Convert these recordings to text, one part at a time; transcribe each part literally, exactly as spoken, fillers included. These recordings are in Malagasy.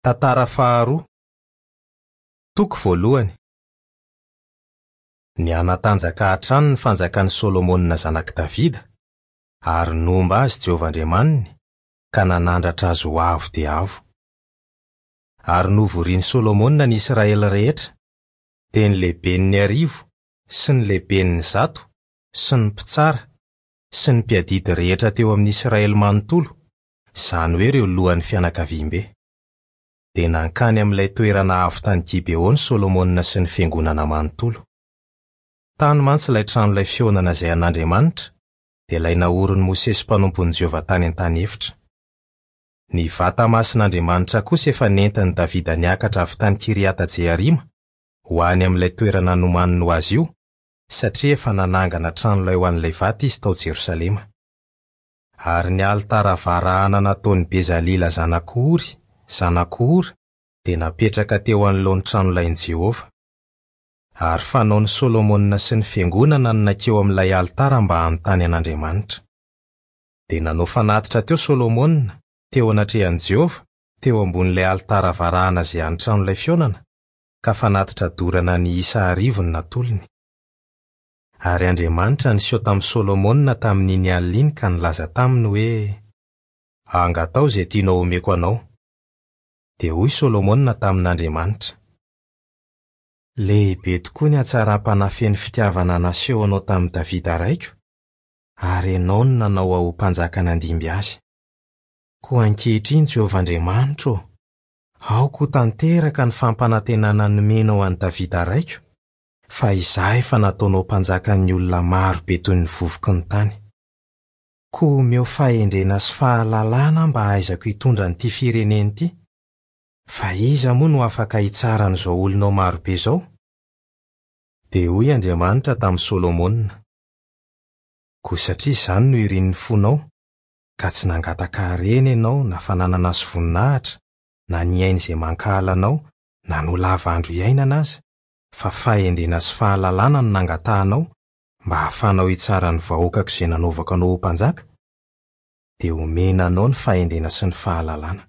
Tantara faharoa. Toko voalohany. Nihanatanjaka hatrany ny fanjakan'i Solomona zanak'i Davida, ary nomba azy Jehovah Andriamaniny, ka nanandratra azy ho avo dia avo. Ary novorian'i Solomona ny Israely rehetra, dia ny lehiben'ny arivo sy ny lehiben'ny zato sy ny mpitsara sy ny mpiadidy rehetra teo amin'ny Israely manontolo, izany hoe ireo lohan'ny fianakaviambe. Dia nankany amin'ilay toerana avo tany Gibeona Solomona sy ny fiangonana manontolo. Tany mantsy ilay tranolay fihaonana izay an'Andriamanitra, dia ilay naorin'i Mosesy mpanompon'i Jehovah tany an-tany efitra. Ny vata masin'Andriamanitra kosa efa nentin'i Davida niakatra avy tany Kiriata-Jearima ho any amin'ilay toerana nomaniny ho azy io, satria efa nanangana tranolay ho an'ilay vata izy tao Jerosalema. Ary ny alitara varahana nataon'i Bezalila zanak'i Ory, zanak'i Hora, dia napetraka teo anoloan'ny tranolain'i Jehovah. Ary fanaon'i Solomona sy ny fiangonana no nankeo amin'ilay alitara mba hanontany an'Andriamanitra. Dia nanao fanatitra teo Solomona, teo anatrehan'i Jehovah, teo ambonin'ilay alitara varahana izay an'ny tranolay fihaonana, ka fanatitra dorana niisa arivo no natolony. Ary Andriamanitra niseho tamin'i Solomona tamin'iny alina iny ka nilaza taminy hoe: "Angatao izay tianao omeko anao." Dia hoy Solomona tamin'Andriamanitra: "Lehibe tokoa ny hatsaram-panahy feno fitiavana nasehonao tamin'i Davida raiko, ary ianao no nanao ahy ho mpanjaka nandimby azy. Koa ankehitriny Jehovah Andriamanitro ô, aoka ho tanteraka ny fampanantenana nomenao an'i Davida raiko, fa izaho efa nataonao mpanjakan'ny olona maro be toy ny vovoky ny tany. Koa omeo fahendrena sy fahalalana mba hahaizako hitondra an'ity firenena ity, fa iza moa no afaka hitsara an'izao olonao marobe izao?" Dia hoy Andriamanitra tamin'i Solomona: "Koa satria izany no irin'ny fonao, ka tsy nangataka harena ianao na fananana sy voninahitra, na ny aina izay mankahala anao, na ny ho lava andro iainana aza, fa fahendrena sy fahalalana no nangatahanao mba hahafahanao hitsara ny vahoakako izay nanaovako anao ho mpanjaka, dia omena anao ny fahendrena sy ny fahalalana.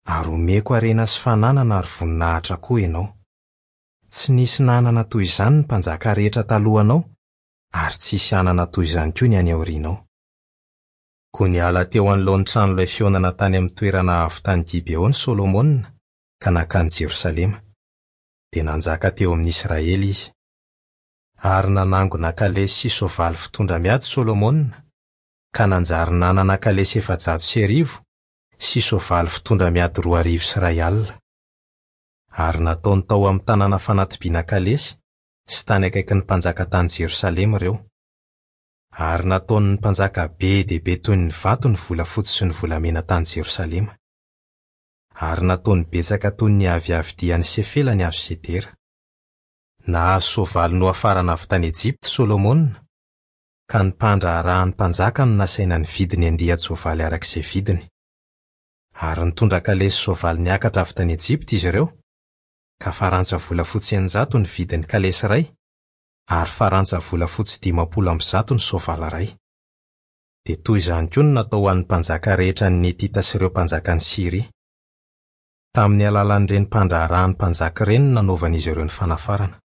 Ary omeko harena sy fananana ary voninahitra koa ianao. Tsy nisy nanana toy izany ny mpanjaka rehetra talohanao, ary tsy hisy hanana toy izany koa ny any aorianao." Koa niala teo anoloan'ny tranolay fihaonana tany amin'ny toerana avo tany Gibeona Solomona ka nankany Jerosalema. Dia nanjaka teo amin'ny Israely izy. Ary nanangona kalesy sy soavaly fitondra miady Solomona, ka nanjary nanana kalesy efajato sy arivo sy soavaly fitondra miady roa arivo sy iray alina. Ary nataony tao amin'ny tanàna fanatobiana kalesy sy tany akaikin'ny mpanjaka tany Jerosalema ireo. Ary nataon'ny mpanjaka be dia be toy ny vato ny volafotsy sy ny volamena tany Jerosalema. Ary nataony betsaka toy ny aviavidian'ny sefela ny hazo sedera. Nahazo soavaly nohafarana avy tany Ejipta Solomona, ka ny mpandraharahan'ny mpanjaka no nasaina nividy ny andian-tsoavaly araka izay vidiny. Ary nitondra kalesy soavaly niakatra avy tany Ejipta izy ireo, ka farantsa volafotsy eninjato ny vidin'ny kalesy iray, ary farantsa volafotsy dimampolo amby zato ny soavaly iray. Dia toy izany koa no natao ho an'ny mpanjaka rehetra ny Netita sy ireo mpanjakan'i Syria. Tamin'ny alalan'ireny mpandraharahan'ny mpanjaka ireny no nanaovan'izy ireo ny fanafarana.